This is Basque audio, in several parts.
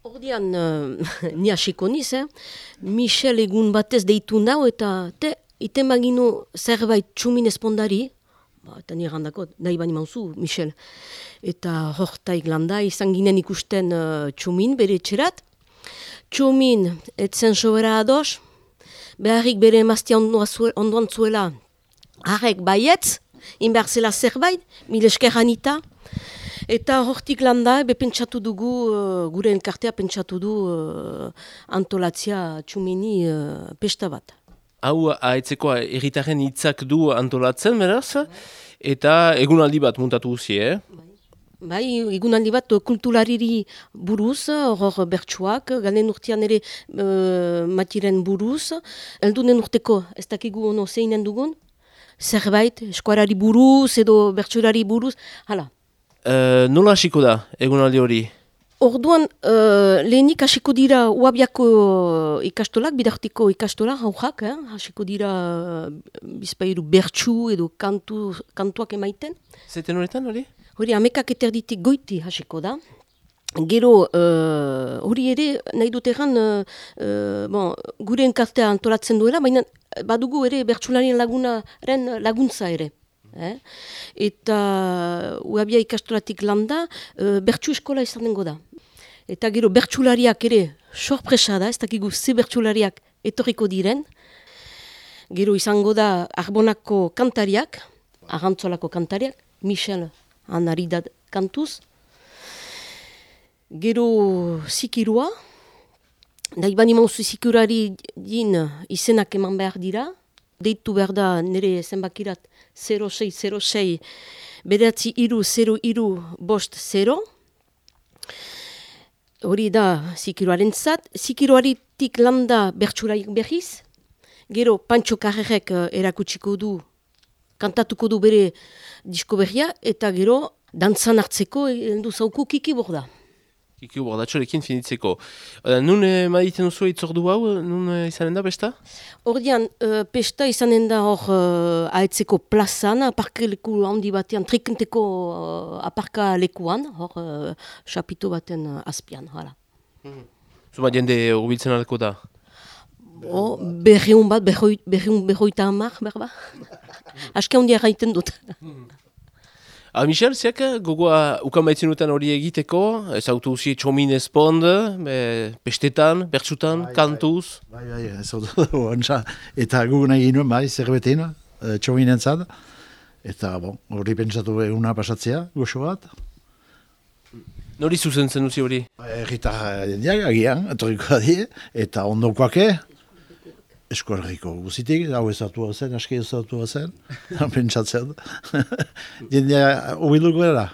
Ordian, ni hasiko niz, Michel egun batez deitu nau eta iten baginu zerbait txumin espondari, eta nire handako, nahi bani mauzu, Michel. Eta hortaik landa izan ginen ikusten txumin bere etxerat. Txumin etzen sobera ados, beharrik bere emaztia ondoan zuela harrek baietz, inbehar zela zerbait, mil esker Anita. Eta hortik landa, pentsatu dugu, gure elkartea pentsatu du antolatzea txumini pesta bat. Hau aetzeko erritaren hitzak du antolatzen, beraz, eta egunaldi bat muntatu guzi, Bai, egunaldi bat kulturariri buruz, hor bertsuak, galen urtean ere matiren buruz, eldunen urteko ez dakigu ono zeinen dugun, zerbait, eskuarari buruz edo bertsurari buruz, hala. Nola hasiko da, egunaldi hori? Orduan, lehenik hasiko dira Uabiako ikastolak, bidartiko ikastolak, haujak, hasiko dira bizpairu bertsu edo kantuak emaiten. Zaten horretan hori? Hori, amekak eterditik goiti hasiko da. Gero, hori ere, nahi dut egan, gure enkartea antolatzen duela, baina badugu ere bertsularien laguntza ere. Eta Uabia ikastolatik landa, bertsu eskola izan dengo da. Eta gero bertsulariak ere sorpresa da, ez dakigu ze bertsulariak etorriko diren. Gero izango da Arbonako kantariak, Arrantzolako kantariak, Michel Anaridad kantuz. Gero zikirua, nahi bani mauzu zikirari din izenak eman behar dira. Deitu behar da nire zenbakirat 0606 beratzi 030350. Hori da zikiroaren zat. Zikiroaritik landa bertsuraiak berriz. Gero Pantxo Karrerek erakutsiko du, kantatuko du bere disko berria, eta gero dantzan hartzeko heldu zauku Kiki Borda. Kiki Bordatxorekin finitzeko. Nun maditen duzu itzordu hau, nun izanen da besta? Ordian, pesta izanen da hor aetzeko plazan, aparka leku handi batean, trikenteko aparka lekuan, hor xapito baten azpian, hala. Zuma jende urbiltzen alko da? Berreun bat, berroita hamar, berba. Aske handia gaiten dut. Michel, zeak gogoa ukan baitzen duten hori egiteko, ez autu usi txomin espond, pestetan, bertsutan, kantuz? Bai, ez autu ontsa. Eta gugun egin nuen, bai, zerbetin, txominen zad. Eta, hori pentsatu eguna pasatzea, goxo bat. Nori zuzentzen duzi hori? Erritar jendeak, agian, etorriko die, eta ondokoake, eskuarriko guzitik, hau ezatua zen, aski ezatua zen, pentsatzen. Jendea hobiluko era.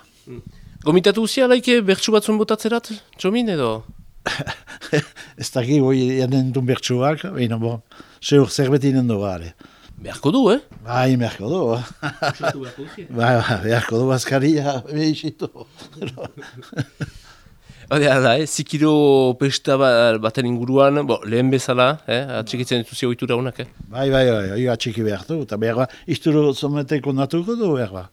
Gomitatu uzia laike bertsu batzun botatzerat, txomin edo? Ez daki goi janen duen bertsuak, baina seur zerbetinen dugu gare. Beharko du, Bai, beharko du. Bai, beharko du azkaria, behizitu. Da, zikiro pesta baten inguruan, lehen bezala, atxikitzen dituzi ohitura honak, Bai, atxiki behar du, eta behar ba, izturo zometeko natuko du, behar ba.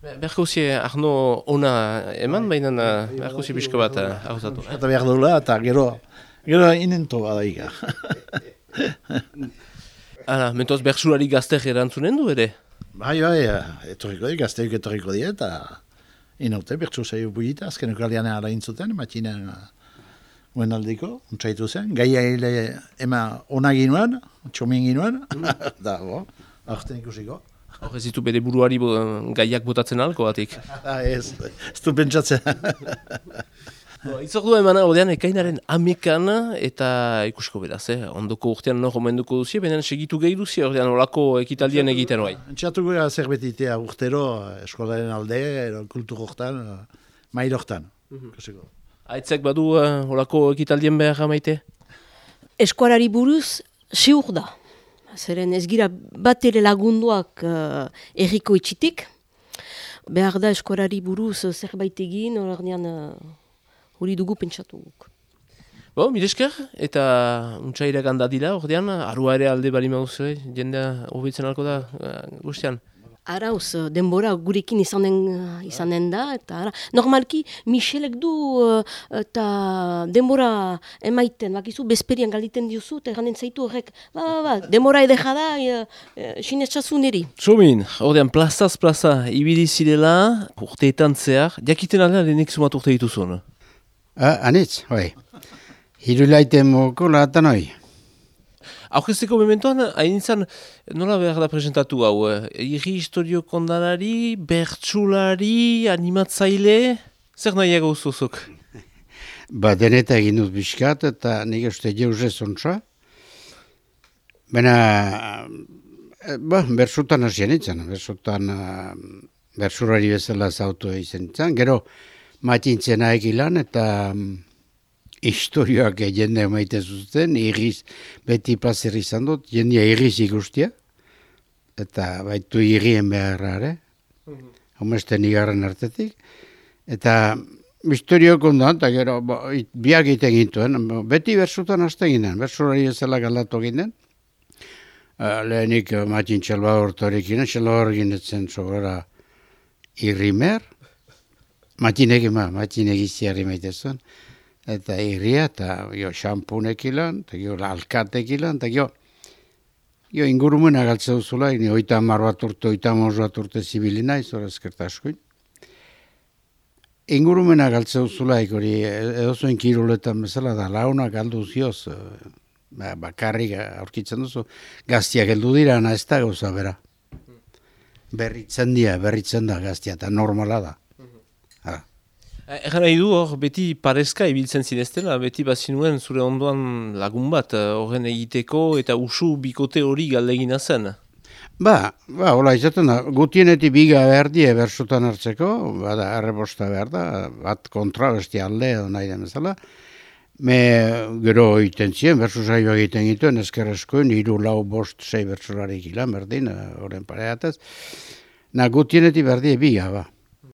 Beharko uzi Arno ona eman, baina beharko uzi pixka bat hauzatu. Eta behar dula, eta gero inento badaika. Mentoz bertsulari gazter erantzunen du ere? Bai, etorriko di, gazteuk etorriko di, eta inaute, bertsu zaio buita, azkeneko alianen ara intzuten, matxinen guen aldiko, untsaitu zen, gaia hile ema ona ginoan, txomin ginoan, da, aurten ikusiko. Hor ez ditu bere buruari gaiak botatzen alko batik? Ez du pentsatzen. Itzordua emana ordean ekainaren amekan eta ikusiko beraz, ondoko urtean nor omenduko duzi, benen segitu gehi duzi ordean olako ekitaldien egiten bai. Entxatuko gara zerbetitea urtero, eskolaren alde, kultur hortan, mail hortan. Aitzek badu olako ekitaldien behar maite? Eskuarari buruz, seur da. Zeren ez gira bat ere lagunduak erriko itxitik. Behar da eskuarari buruz zerbait egin, ordean hori dugu pentsatu guk. Miresker, eta untxairak handa dira, ordean, arua ere alde bali mauzue, jendea hobitzen alko da guztian? Arauz, denbora gurekin izanen da, eta ara, normalki Michelek du eta denbora emaiten, bakizu, bezperian galditen diozu, eta erranen zaitu horrek, denbora edeja da, sinetxazu niri. Txomin, ordean plazaz plaza ibili zirela, urteetan zehar, jakiten aldea lehenik sumat urte dituzun? Anitz, hoi. Hirulaiten moko lahatan hoi. Aurkezteko mementoan, hain izan, nola behar da presentatu hau? Irri historio kondalari, bertsulari, animatzaile, zer nahiago uzuzuk? Deneta egin dut biskat eta nik uste jeuzez ontsa. Baina, bersutan hasien itzan, bersurari bezala zautu izan itzan. Gero, matintzena egilan eta historioak jende maite zuten, irriz beti plazer izan dut, jendia irriz ikustia, eta baitu irrien beharra, homesten igarren artetik, eta historioak ondoan, eta gero biak egiten gintuen, beti bersutan hasten ginen, bersurari ezela galdatu ginen, lehenik Matin Txelbahor torekin, Txelbahor ginetzen sobera irrimer, Matinek iziarri maite zuen, eta irria, eta xampunek ilan, eta alkatek ilan, eta ingurumena galtze duzula, ni 30 bat urte, 35 bat urte zibili naiz, hori eskerta askoin. Ingurumena galtze duzula, hori edozuen kiruletan bezala, da launa galdu zioz, bakarrik aurkitzen duzu, gaztiak heldu dira, ez da gauza bera. Berritzen da gaztia, eta normala da. Egan nahi du hor, beti parezka ibiltzen zineztela, beti bazinuen zure ondoan lagun bat horren egiteko eta usu bikote hori galdegina zen. Hola izaten da, gutienetik biga behar die bersutan hartzeko, bada errebosta behar da, bat kontra besti alde edo nahi den bezala. Gero egiten ziren, bersu saioa egiten gituen, ezkerrezkoen, 3, 4, 5, 6 bersularik ilan berdin, horren pareatez. Gutienetik behar die biga,